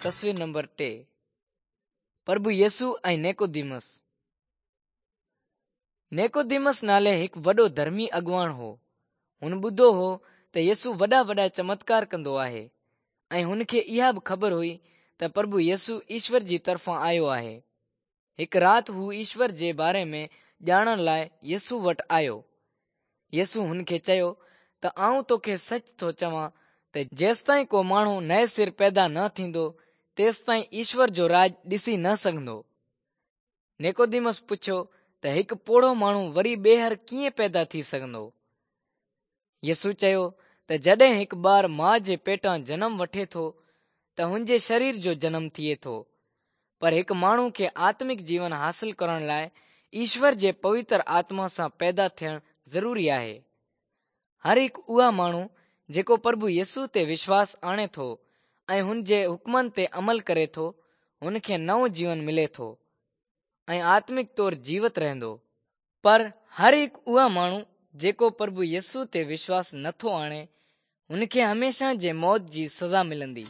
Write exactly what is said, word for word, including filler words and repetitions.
تصوير نمبر ٽي پرڀو يسوع ۽ نيڪوديمس. نيڪوديمس نالي هڪ وڏو ڌرمي اڳواڻ هو. هن ٻڌو هو ته يسوع وڏا وڏا چمتڪار ڪندو آهي ۽ هن کي اها به خبر هئي ته پرڀو يسوع ايشور جي طرفان آيو آهي. هڪ رات هو ايشور جي باري ۾ ڄاڻڻ لاءِ يسوع وٽ آيو. يسوع هن کي چيو ته آئون توکي سچ ٿو چوان ته جيستائين ڪو ماڻهو نئين سر پيدا نه ٿيندو تيستائين ايشور جو راڄ ڏسي نه سگهندو. نيڪوديمس پڇيو ته هڪ پوڙهو ماڻهو وري ٻيهر ڪيئن پيدا ٿي سگهندو؟ يسوع چيو ته جڏهن هڪ ٻار ماءُ جي پيٽان جنم وٺي ٿو ته هن جي شرير جو جنم ٿئي ٿو، پر هڪ ماڻهو کي آتمڪ جيون حاصل ڪرڻ لاءِ ايشور جي پوتر آتما سان پيدا ٿيڻ ضروري آهي. هر هڪ اها ماڻهو جيڪو پرڀو يسوع تي وشواس آڻي ٿو ۽ هن جي حڪمن تي عمل ڪري ٿو، هن کي نئون جيون ملي ٿو ۽ آتمڪ طور جيوت رهندو. پر هر هڪ اها ماڻهو جيڪو پرڀو يسوع تي وشواس نٿو آڻي، هن کي هميشه جي موت جي سزا ملندي.